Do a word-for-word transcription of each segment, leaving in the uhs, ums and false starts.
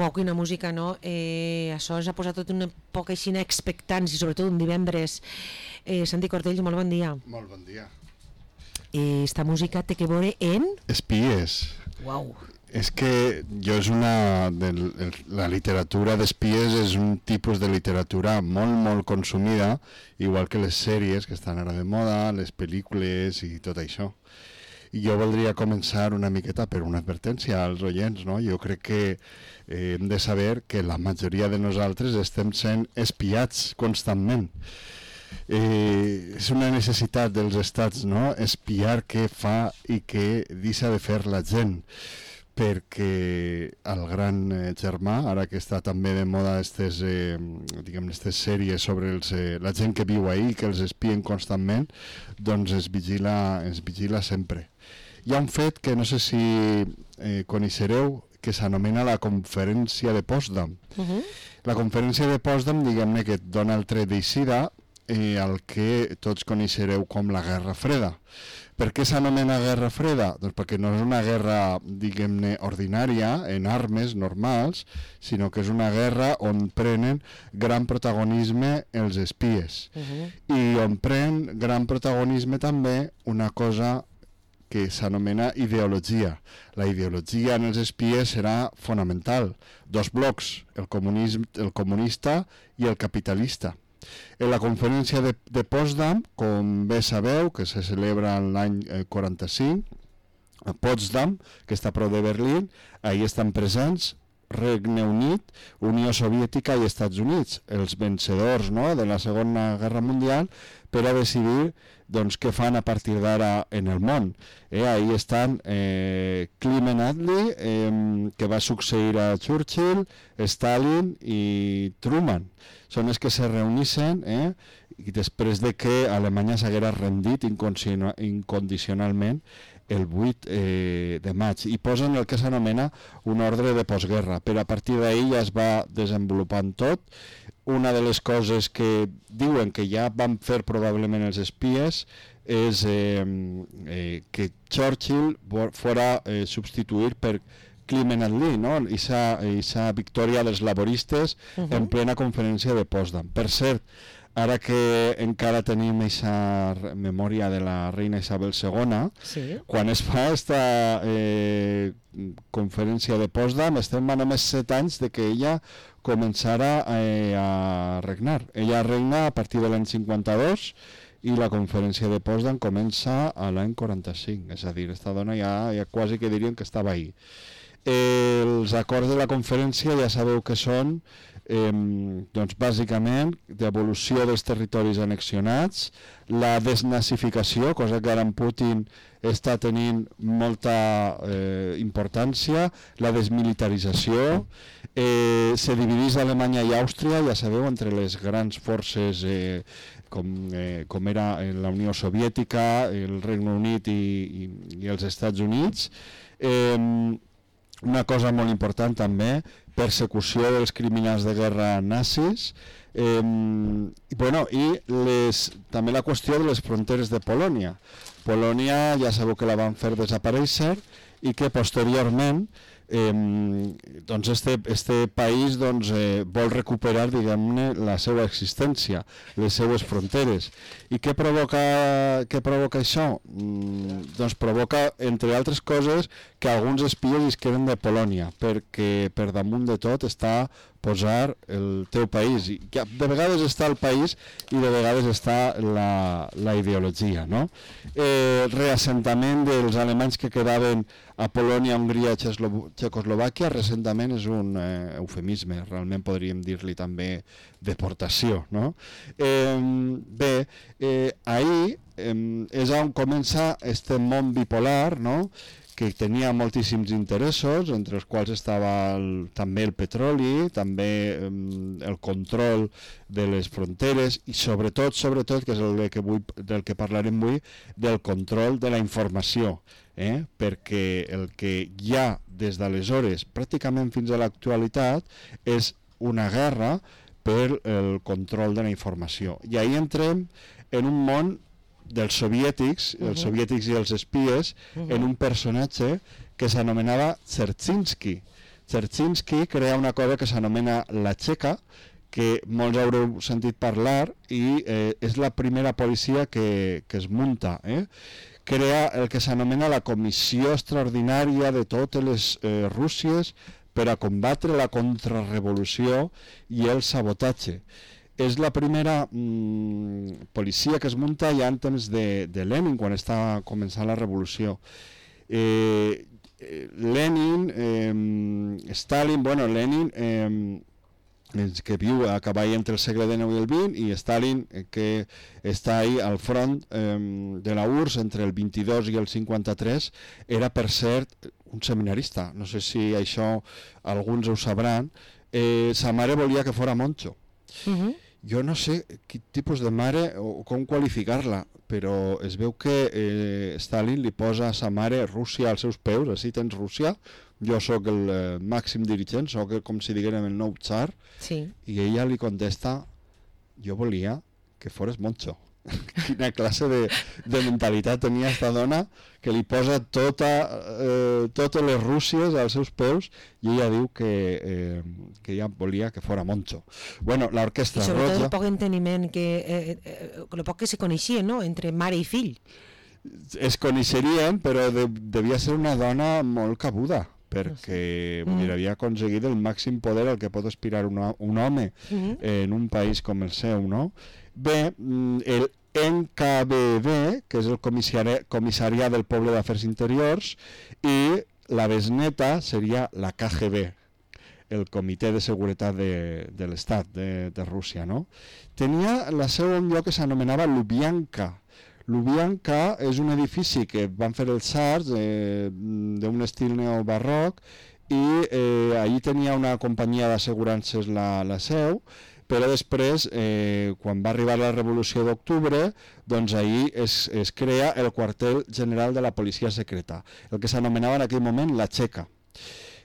Uau, quina música, no? Eh, això ens ha posat tot una poca aixina expectants, i sobretot un divendres. Eh, Santi Cortell, molt bon dia. Molt bon dia. Eh, esta música té que veure en... Espies. Uau. És que jo és una... De, la literatura d'espies és un tipus de literatura molt, molt consumida, igual que les sèries que estan ara de moda, les pel·lícules i tot això. I jo voldria començar una miqueta per una advertència als oients, no? Jo crec que eh, hem de saber que la majoria de nosaltres estem sent espiats constantment. Eh, és una necessitat dels estats, no? Espiar què fa i què deixa de fer la gent, perquè el gran eh, germà, ara que està també de moda aquestes eh, diguem, aquestes sèries sobre els, eh, la gent que viu ahí, que els espien constantment, doncs es vigila, es vigila sempre. Hi ha un fet que no sé si eh, coneixereu, que s'anomena la conferència de Potsdam. Uh-huh. La conferència de Potsdam, diguem-ne que et dona el tret d'eixida eh, el que tots coneixereu com la Guerra Freda. Per què s'anomena Guerra Freda? Doncs perquè no és una guerra, diguem-ne, ordinària, en armes normals, sinó que és una guerra on prenen gran protagonisme els espies. Uh-huh. I on pren gran protagonisme també una cosa que s'anomena ideologia. La ideologia en els espies serà fonamental. Dos blocs, el, comunisme, el comunista i el capitalista. En la conferència de, de Potsdam, com bé sabeu, que se celebra l'any eh, quaranta-cinc, a Potsdam, que està a prop de Berlín, ahí estan presents Regne Unit, Unió Soviètica i Estats Units, els vencedors, no?, de la Segona Guerra Mundial, per a decidir doncs, què fan a partir d'ara en el món. Eh, ahí estan eh, Clement Attlee, eh, que va succeir a Churchill, Stalin i Truman. Són els que se reuneixen eh, i després de que Alemanya s'haguera rendit incondicionalment el vuit eh, de maig, i posen el que s'anomena un ordre de postguerra. Per a partir d'ahir ja es va desenvolupant tot. Una de les coses que diuen que ja van fer probablement els espies és eh, eh, que Churchill fora eh, substituït per Clement Attlee, no? Esa victòria dels laboristes uh-huh. en plena conferència de Potsdam. Per cert, ara que encara tenim aquesta memòria de la reina Isabel segona, sí. Quan es fa aquesta eh, conferència de Potsdam estem a només set anys de que ella començara eh, a regnar. Ella regna a partir de l'any cinquanta-dos i la conferència de Potsdam comença a l'any quaranta-cinc, és a dir, aquesta dona ja, ja quasi que dirien que estava ahí. Eh, els acords de la conferència ja sabeu que són eh, doncs bàsicament devolució dels territoris annexionats, la desnazificació, cosa que ara en Putin està tenint molta eh, importància, la desmilitarització, eh, se divideix Alemanya i Àustria, ja sabeu, entre les grans forces eh, com, eh, com era la Unió Soviètica, el Regne Unit i, i, i els Estats Units. Eh, Una cosa molt important també, persecució dels criminals de guerra nazis, eh, i, bueno, i les, també la qüestió de les fronteres de Polònia. Polònia ja sabeu que la van fer desaparèixer i que posteriorment eh, doncs este, este país doncs, eh, vol recuperar, diguem-ne, la seva existència, les seues fronteres. I què provoca, què provoca això? Mm, doncs provoca, entre altres coses, que alguns espies es queden de Polònia, perquè per damunt de tot està posar el teu país. I de vegades està el país i de vegades està la, la ideologia, no? Eh, reassentament dels alemanys que quedaven a Polònia, Hongria, Txecoslovàquia, reassentament és un eh, eufemisme, realment podríem dir-li també deportació, no? Eh, bé, eh, ahir eh, és on comença este món bipolar, no?, que tenia moltíssims interessos, entre els quals estava el, també el petroli, també eh, el control de les fronteres i sobretot, sobretot, que és el que vull, del que parlarem avui, del control de la informació, eh? Perquè el que hi ha des d'aleshores, pràcticament fins a l'actualitat, és una guerra per el control de la informació. I ahir entrem en un món dels soviètics, uh-huh. els soviètics i els espies, uh-huh. en un personatge que s'anomenava Dzerzhinsky. Dzerzhinsky crea una cosa que s'anomena la Txeka, que molts haureu sentit parlar, i eh, és la primera policia que, que es munta. Eh? Crea el que s'anomena la Comissió Extraordinària de totes les eh, Rússies per a combatre la contrarrevolució i el sabotatge. És la primera mm, policia que es munta ja en temps de, de Lenin, quan està començant la revolució. Eh, Lenin, eh, Stalin, bueno, Lenin... Eh, que viu a cavall entre el segle dinou i el vint, i Stalin, que està ahí al front eh, de la U R S S entre el vint-i-dos i el cinquanta-tres, era, per cert, un seminarista. No sé si això alguns ho sabran. Eh, sa mare volia que fora monjo. Uh-huh. Jo no sé quin tipus de mare o com qualificar-la, però es veu que eh, Stalin li posa a sa mare Rússia als seus peus, així tens Rússia, jo sóc el eh, màxim dirigent, sóc el, com si diguérem el nou tsar, sí. I ella li contesta, jo volia que fores monjo. Quina classe de, de mentalitat tenia esta dona, que li posa tota, eh, totes les Rússies als seus peus, i ella diu que, eh, que ella volia que fora monjo. Bueno, l'orquestra roja... I sobretot el poc enteniment, que, eh, eh, el poc que se coneixien, no?, entre mare i fill. Es coneixerien, però de, devia ser una dona molt cabuda, perquè no sé. mm. havia aconseguit el màxim poder al que pot aspirar una, un home mm-hmm. en un país com el seu, no? Bé, el N K V B, que és el comissari, Comissariat del Poble d'Afers Interiors, i la besneta seria la K G B, el Comitè de Seguretat de, de l'Estat de, de Rússia, no? Tenia la seu en un lloc que s'anomenava Lubyanka. Lubyanka és un edifici que van fer els tsars eh, d'un estil neobarroc, i eh, allí tenia una companyia d'assegurances la, la seu, però després, eh, quan va arribar la Revolució d'Octubre, doncs ahir es, es crea el quartel general de la policia secreta, el que s'anomenava en aquell moment la Txeka.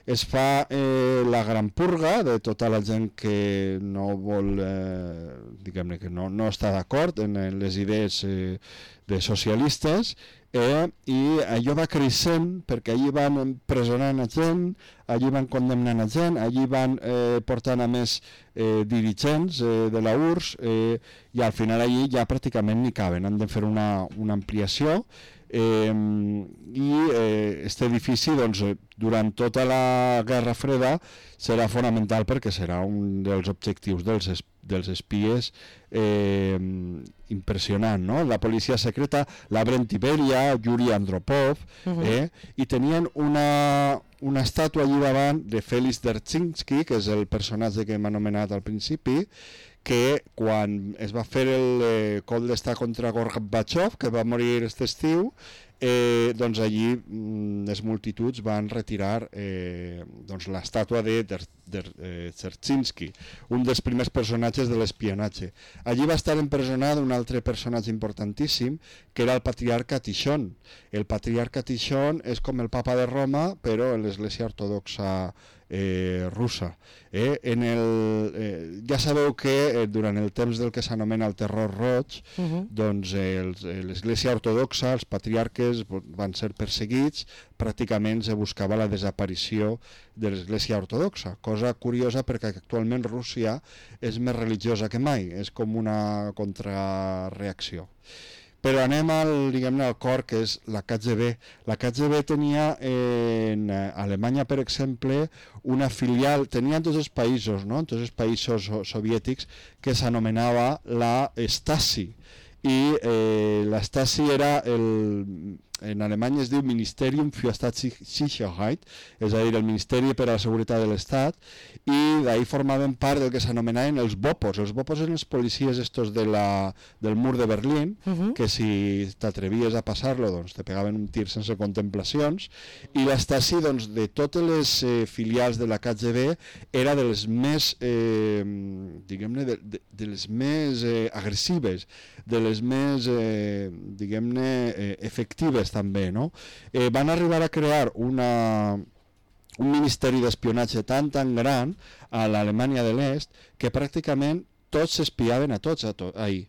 Es fa eh, la gran purga de tota la gent que no vol, eh, diguem-ne, que no, no està d'acord en les idees eh, de socialistes, eh, i allò va creixent perquè allí van empresonant a gent, allí van condemnant a gent, allí van eh, portant a més eh, dirigents eh, de la U R S S, eh, i al final allí ja pràcticament ni caben, han de fer una, una ampliació. Eh, i eh, este edifici doncs, durant tota la Guerra Freda serà fonamental perquè serà un dels objectius dels, es, dels espies eh, impressionant, no? La policia secreta, la Brent Iberia, Yuri Andropov, uh-huh. eh, i tenien una, una estàtua allí davant de Félix Dzerzhinsky, que és el personatge que hem anomenat al principi, que quan es va fer el eh, cop d'estat contra Gorbachev, que va morir aquest estiu, eh, doncs allí mm, les multituds van retirar eh, doncs l'estàtua de Dzerzhinsky, un dels primers personatges de l'espionatge. Allí va estar empresonat un altre personatge importantíssim, que era el patriarca Tixon. El patriarca Tixon és com el papa de Roma, però en l'església ortodoxa Eh, russa. Eh? En el, eh, ja sabeu que eh, durant el temps del que s'anomena el terror roig, uh-huh. doncs eh, l'església ortodoxa, els patriarques van ser perseguits, pràcticament se buscava la desaparició de l'església ortodoxa, cosa curiosa perquè actualment Rússia és més religiosa que mai, és com una contrareacció. Però anem al, diguem-ne, al cor, que és la K G B. La K G B tenia en Alemanya, per exemple, una filial, tenia en tots els països, no? en tots els països soviètics, que s'anomenava la Stasi. I eh, la Stasi era el... En alemany es diu Ministerium für Staatssicherheit, és a dir, el Ministeri per a la Seguretat de l'Estat, i d'ahir formaven part del que s'anomenaven els bopos. Els bopos eren els policies estos de la, del mur de Berlín, uh-huh. que si t'atrevies a passar-lo, doncs te pegaven un tir sense contemplacions, i la Stasi, doncs, de totes les eh, filials de la K G B, era de les més, eh, diguem-ne, de, de, de les més eh, agressives, de les més, eh, diguem-ne, eh, efectives també, no? Eh, van arribar a crear una, un ministeri d'espionatge tan tan gran a l'Alemanya de l'Est que pràcticament tots s'espiaven a tots a to ahir.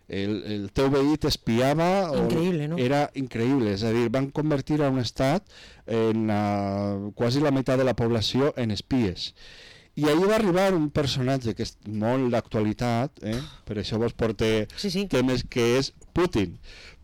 el, el teu veí t'espiava, increïble, no? Era increïble, és a dir, van convertir a un estat en la, quasi la meitat de la població en espies. I ahir va arribar un personatge que és molt d'actualitat, eh? Per això vos porté sí, sí. temes, que és Putin.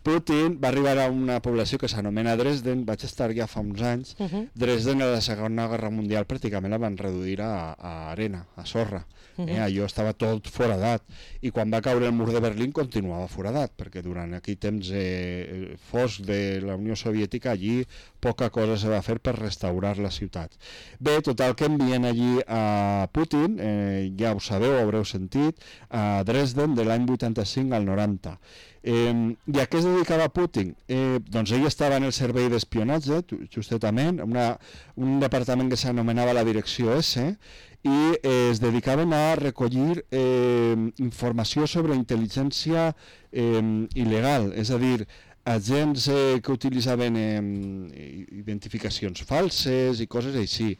Putin va arribar a una població que s'anomena Dresden, vaig estar ja fa uns anys, uh -huh. Dresden a la Segona Guerra Mundial pràcticament la van reduir a, a arena, a sorra. Uh -huh. eh? Allò estava tot foradat, i quan va caure el mur de Berlín continuava foradat, perquè durant aquell temps eh, fosc de la Unió Soviètica allí poca cosa se va fer per restaurar la ciutat. Bé, total, que envien allí a Putin, eh, ja ho sabeu, haureu sentit, a Dresden de l'any vuitanta-cinc al noranta. Eh, I a què es dedicava Putin? Eh, doncs ell estava en el servei d'espionatge, justament, una, un departament que s'anomenava la Direcció S, i eh, es dedicaven a recollir eh, informació sobre intel·ligència eh, il·legal, és a dir, agents eh, que utilitzaven eh, identificacions falses i coses així.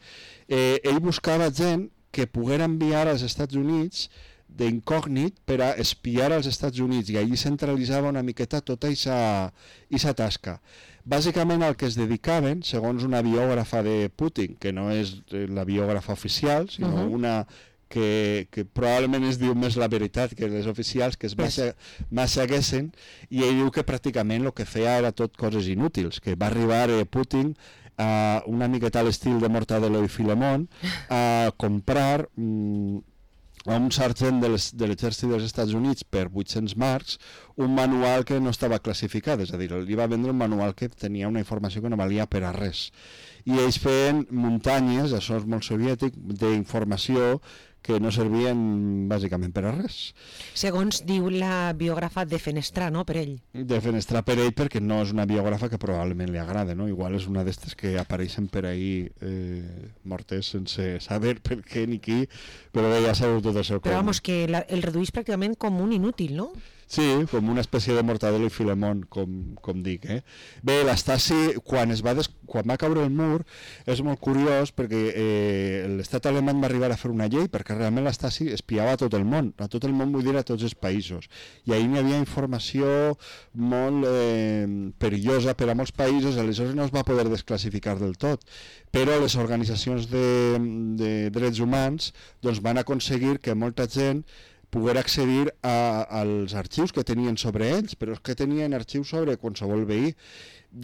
Eh, ell buscava gent que poguera enviar als Estats Units d'incògnit per a espiar als Estats Units, i allí centralitzava una miqueta tota aquesta tasca. Bàsicament el que es dedicaven, segons una biògrafa de Putin, que no és la biògrafa oficial, sinó uh -huh. una que, que probablement es diu més la veritat que les oficials, que es Massaguessen, i ell diu que pràcticament el que feia era tot coses inútils, que va arribar eh, Putin a una miqueta a l'estil de Mortadelo i Filemón a comprar mm, a un sergent de l'exèrcit dels Estats Units per vuit-cents marcs un manual que no estava classificat, és a dir, li va vendre un manual que tenia una informació que no valia per a res. I ells feien muntanyes, això és molt soviètic, d'informació que no servien bàsicament per a res. Segons diu la biògrafa, defenestrar, no?, per ell. Defenestrar per ell, perquè no és una biògrafa que probablement li agrada, no? Igual és una d'estes que apareixen per ahir eh, mortes sense saber per què ni qui, però bé, ja sabeu tot això. Però vamos, que la, el reduís pràcticament com un inútil, no? Sí, com una espècie de Mortadelo i Filemón, com, com dic. Eh? Bé, l'Stasi, quan, es va des... quan va caure el mur, és molt curiós perquè eh, l'estat alemany va arribar a fer una llei perquè realment l'Stasi espiava a tot el món, a tot el món vull dir a tots els països. I ahir hi havia informació molt eh, perillosa per a molts països, aleshores no es va poder desclassificar del tot. Però les organitzacions de, de drets humans doncs, van aconseguir que molta gent poder accedir a, als arxius que tenien sobre ells, però és que tenien arxius sobre qualsevol veí.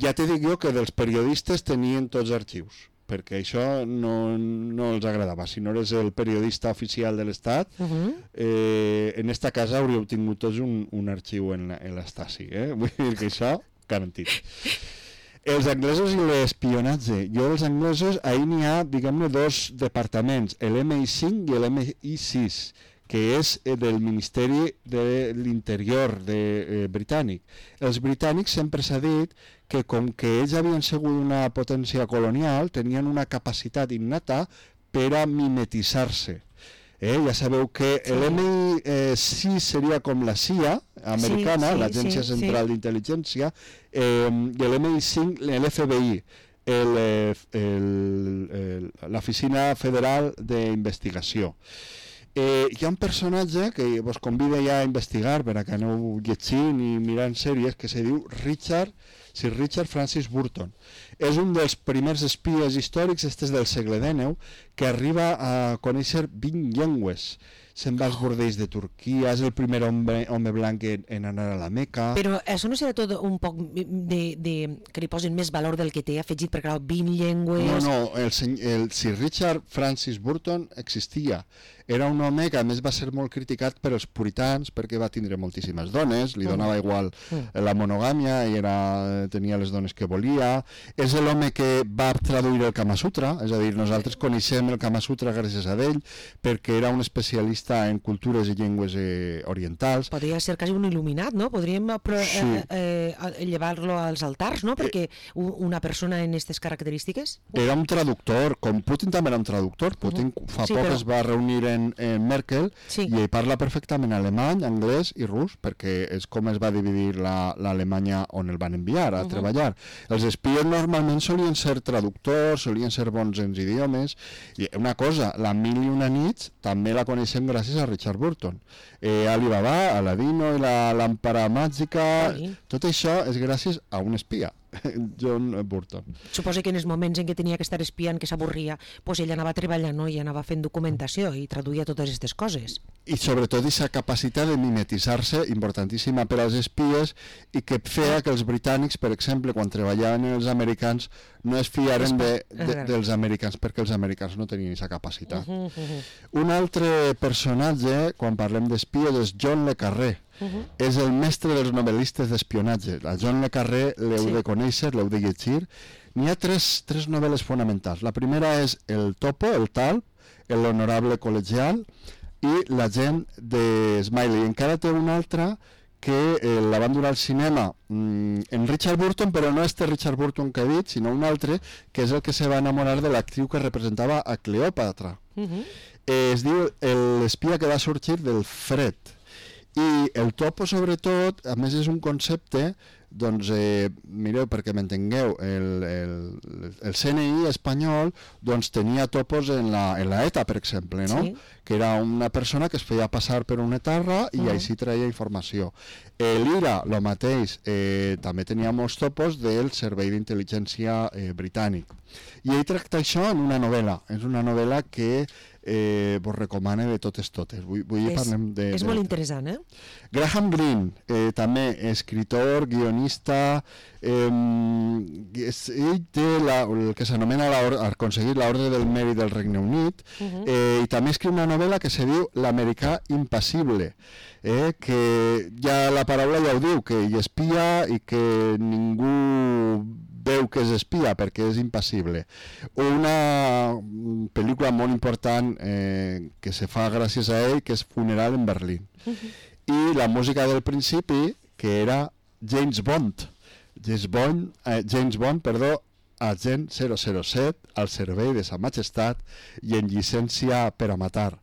Ja te dic jo que dels periodistes tenien tots arxius, perquè això no, no els agradava. Si no eres el periodista oficial de l'Estat, uh -huh. eh, en esta casa hauríeu tingut tots un, un arxiu en l'Stasi. Eh? Vull dir que això, garantit. Els anglesos i l'espionatge. Jo dels anglesos, ahir n'hi ha, diguem-ne, dos departaments, l'M I cinc i l'M I sis, que és del Ministeri de l'Interior de, eh, britànic. Els britànics sempre s'ha dit que com que ells havien sigut una potència colonial, tenien una capacitat innata per a mimetitzar-se. Eh? Ja sabeu que sí. l'M I sis seria com la C I A americana, sí, sí, l'Agència sí, Central sí. d'Intel·ligència, eh, i l'M I cinc l'F B I, l'Oficina Federal d'Investigació. Eh, hi ha un personatge que vos convida ja a investigar per a que aneu llegint i mirant sèries, que se diu Richard, Sir Richard Francis Burton. És un dels primers espies històrics, este és del segle dinou, que arriba a conèixer vint llengües. Se'n va als bordells de Turquia, és el primer home, home blanc en, en anar a la Meca. Però això no serà tot un poc de, de, que li posin més valor del que té afegit, perquè clar, vint llengües... No, no, el, el Sir Richard Francis Burton existia. Era un home que a més va ser molt criticat per els puritans perquè va tindre moltíssimes dones, li donava igual la monogàmia i era, tenia les dones que volia. És l'home que va traduir el Kama Sutra, és a dir, nosaltres coneixem el Kama Sutra gràcies a ell perquè era un especialista en cultures i llengües eh, orientals. Podria ser quasi un il·luminat, no? Podríem sí. eh, eh, llevar-lo als altars, no? Perquè una persona en aquestes característiques... Era un traductor, com Putin també era un traductor. Putin uh -huh. fa sí, poc però... es va reunir en, en Merkel sí. i ell parla perfectament alemany, anglès i rus, perquè és com es va dividir l'Alemanya la, on el van enviar a uh -huh. treballar. Els espies normals normalment solien ser traductors, solien ser bons en idiomes, i una cosa, la Mil i una nits també la coneixem gràcies a Richard Burton. Eh, Alibaba, Aladino i la làmpara màgica, Sí. tot això és gràcies a un espia, John Burton. Suposo que en els moments en què tenia que estar espiant, que s'avorria, pues ell anava treballant, no? I anava fent documentació i traduïa totes aquestes coses. I sobretot aquesta capacitat de mimetitzar-se, importantíssima per als espies, i que feia que els britànics, per exemple, quan treballaven els americans, no es fiaren de, de, dels americans, perquè els americans no tenien aquesta capacitat. Uh -huh, uh -huh. Un altre personatge, quan parlem d'espies, és John le Carré. Uh -huh. És el mestre dels novel·listes d'espionatge. A John le Carré l'heu sí. de conèixer, l'heu de llegir. N'hi ha tres, tres novel·les fonamentals. La primera és El Topo, el Talp, L'Honorable Col·legial i L'Agent de Smiley. Encara té una altra que eh, la van donar al cinema mm, en Richard Burton, però no este Richard Burton que he dit, sinó un altre, que és el que se va enamorar de l'actriu que representava a Cleòpatra. Uh -huh. eh, es diu L'espia que va sorgir del fred. I el topo, sobretot, a més és un concepte, doncs, eh, mireu, perquè m'entengueu, el, el, el C N I espanyol doncs, tenia topos en la, en la ETA, per exemple, no? Sí. Que era una persona que es feia passar per una etarra i uh -huh. així traia informació. Eh, L'I R A, el mateix, eh, també tenia molts topos del Servei d'Intel·ligència eh, britànic. I ell tracta això en una novel·la. És una novel·la que eh, vos recomane de totes totes. Vull, vull és, parlem de, és de, molt interessant, eh? Graham Greene, eh, també escritor, guionista, eh, és, ell té la, el que s'anomena aconseguir l'Ordre del Mèrit del Regne Unit, uh -huh. eh, i també escriu una novel·la que se diu L'americà impassible, eh, que ja la paraula ja ho diu, que hi espia i que ningú veu que és espia perquè és impassible. Una pel·lícula molt important eh, que se fa gràcies a ell, que és Funeral en Berlín. Uh -huh. I la música del principi, que era James Bond. James Bond, eh, James Bond, perdó, agent zero zero set, al servei de Sa Majestat i en llicència per a matar.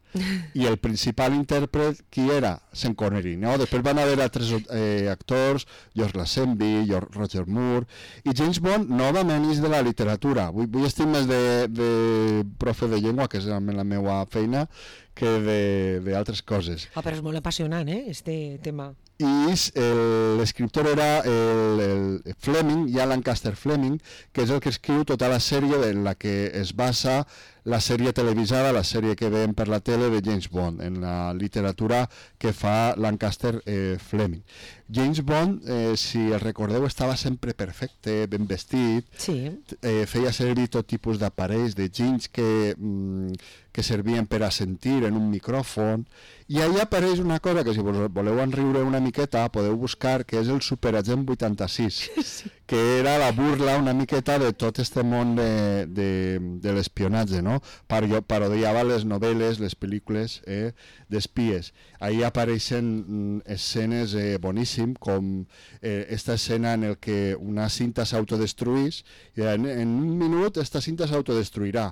I el principal intèrpret, qui era? Sean Connery, no? Després van haver altres eh, actors, George Lazenby, George Roger Moore, i James Bond novament és de la literatura. Vull, vull estar més de, de profe de llengua, que és la meva feina, que d'altres coses. Ah, però és molt apassionant, eh, este tema. I l'escriptor era el, el Fleming, ja Lancaster Fleming, que és el que escriu tota la sèrie en la que es basa la sèrie televisada, la sèrie que veiem per la tele de James Bond, en la literatura que fa Lancaster eh, Fleming. James Bond, eh, si el recordeu, estava sempre perfecte, ben vestit, sí. eh, feia servir tot tipus d'aparells, de jeans que, mm, que servien per a sentir en un micròfon, i allà apareix una cosa que si vos voleu enriure una miqueta podeu buscar, que és el Superagent vuitanta-sis, sí. que era la burla una miqueta de tot este món de, de, de l'espionatge, no? Parodiava les novel·les, les pel·lícules eh, d'espies. Ahí apareixen mm, escenes eh, boníssimes, com eh, esta escena en el que una cinta s'autodestruís, i en, en un minut esta cinta s'autodestruirà,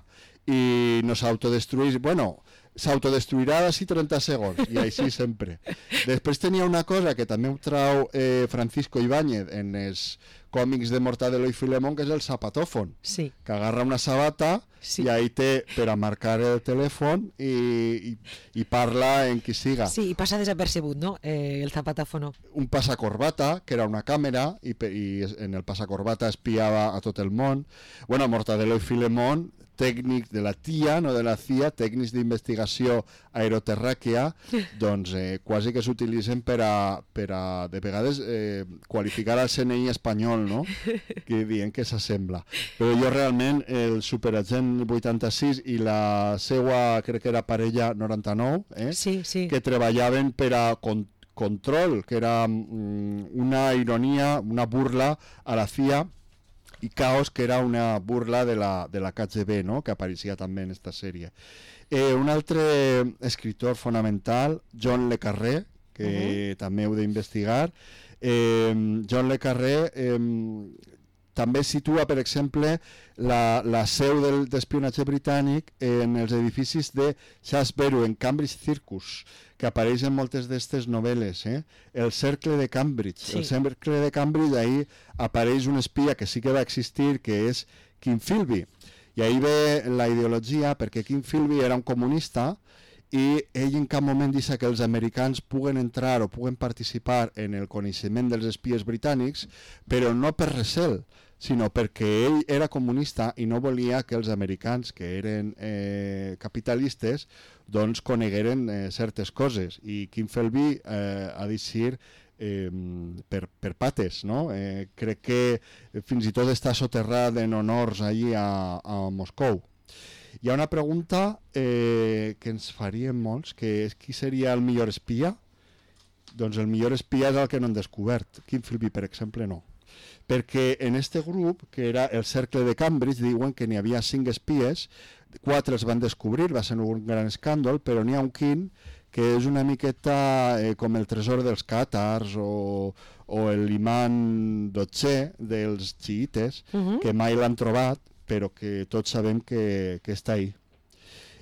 i no s'autodestruís, bueno, s'autodestruirà d'ací trenta segons, i així sempre. Després tenia una cosa que també ho trau eh, Francisco Ibáñez en els còmics de Mortadelo i Filemón, que és el zapatòfon, sí. que agarra una sabata sí. i ahí té per a marcar el telèfon i, i, i parla en qui siga. Sí, i passa desapercebut, no?, eh, el zapatòfono. Un passacorbata, que era una càmera, i, i en el passacorbata espiava a tot el món. Bueno, Mortadelo i Filemón, tècnics de la T I A, no de la C I A, tècnics d'investigació aeroterràquea, doncs eh, quasi que s'utilitzen per a, per a, de vegades, eh, qualificar el C N I espanyol, no?, que diuen que s'assembla. Però jo realment, el Superagent vuitanta-sis i la seua, crec que era parella noranta-nou, eh, sí, sí. que treballaven per a con control, que era mm, una ironia, una burla a la C I A, i Caos, que era una burla de la, de la K G B, no?, que apareixia també en esta sèrie. Eh, un altre escritor fonamental, John le Carré, que uh-huh. també heu d'investigar. Eh, John le Carré eh, també situa, per exemple, la, la seu del, d'espionatge britànic en els edificis de Shaftesbury, en Cambridge Circus, que apareix en moltes d'aquestes novel·les. Eh? El cercle de Cambridge. Sí. El cercle de Cambridge, ahí apareix un espia que sí que va existir, que és King Philby. I ahí ve la ideologia, perquè King Philby era un comunista i ell en cap moment deixa que els americans puguen entrar o puguen participar en el coneixement dels espies britànics, però no per recel, sinó perquè ell era comunista i no volia que els americans, que eren eh, capitalistes, doncs conegueren eh, certes coses. I King Philby eh, ha de ser eh, per, per pates, no? Eh, crec que fins i tot està soterrat en honors allí a, a Moscou. Hi ha una pregunta eh, que ens farien molts, que és qui seria el millor espia? Doncs el millor espia és el que no han descobert. King Philby, per exemple, no. Perquè en este grup, que era el cercle de Cambridge, diuen que n'hi havia cinc espies, quatre els van descobrir, va ser un gran escàndol, però n'hi ha un quint que és una miqueta eh, com el tresor dels càtars o, o l'imant dotzè dels xiites, uh-huh. que mai l'han trobat, però que tots sabem que, que està ahí.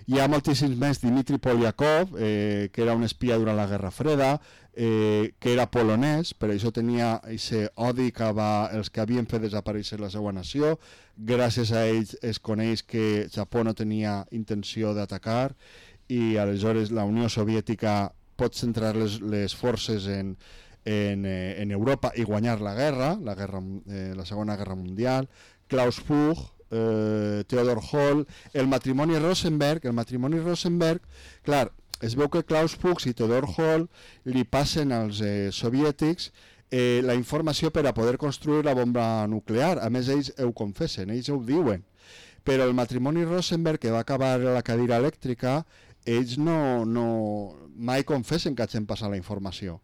Hi ha moltíssims més. Dmitri Polyakov, eh, que era un espia durant la Guerra Freda, eh, que era polonès, per això tenia aquest odi cap als que havien fet desaparèixer la seva nació. Gràcies a ells es coneix que Japó no tenia intenció d'atacar i aleshores la Unió Soviètica pot centrar les, les forces en, en, eh, en Europa i guanyar la guerra, la, guerra eh, la Segona Guerra Mundial. Klaus Fuchs, eh, Theodor Hall, el matrimoni Rosenberg, el matrimoni Rosenberg, clar, es veu que Klaus Fuchs i Theodor Hall li passen als eh, soviètics eh, la informació per a poder construir la bomba nuclear. A més, ells ho confessen, ells ho diuen. Però el matrimoni Rosenberg, que va acabar a la cadira elèctrica, ells no, no, mai confessen que hagin passat la informació.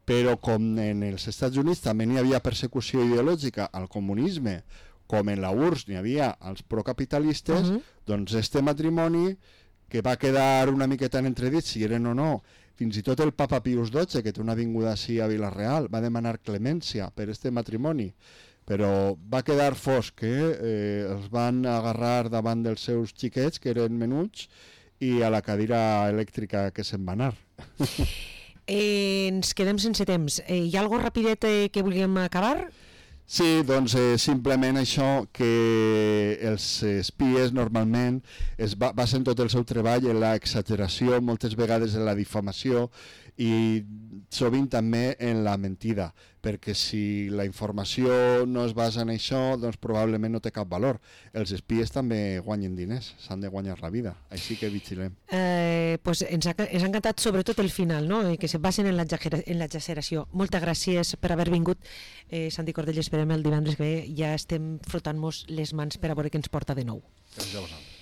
Però com en els Estats Units també n'hi havia persecució ideològica al comunisme, com en la U R S S n'hi havia els procapitalistes, uh-huh. doncs este matrimoni, que va quedar una miqueta en entredit si eren o no, fins i tot el papa Pius dotze, que té una avinguda així a Vila-real, va demanar clemència per este matrimoni, però va quedar fosc, que eh, els van agarrar davant dels seus xiquets, que eren menuts, i a la cadira elèctrica que se'n va anar. Eh, ens quedem sense temps. Eh, hi ha alguna cosa rapidet eh, que volíem acabar? Sí, doncs eh, simplement això, que els espies normalment es ba basen tot el seu treball en l'exageració, moltes vegades en la difamació i sovint també en la mentida, perquè si la informació no es basa en això, doncs probablement no té cap valor. Els espies també guanyen diners, s'han de guanyar la vida, així que vigilem. Eh, pues ens, ha, ens ha encantat sobretot el final, no? que se basen en l'exageració. Moltes gràcies per haver vingut, eh, Santi Cordell. Esperem el divendres que ve, ja estem frotant-nos les mans per a veure què ens porta de nou. Gràcies a vosaltres.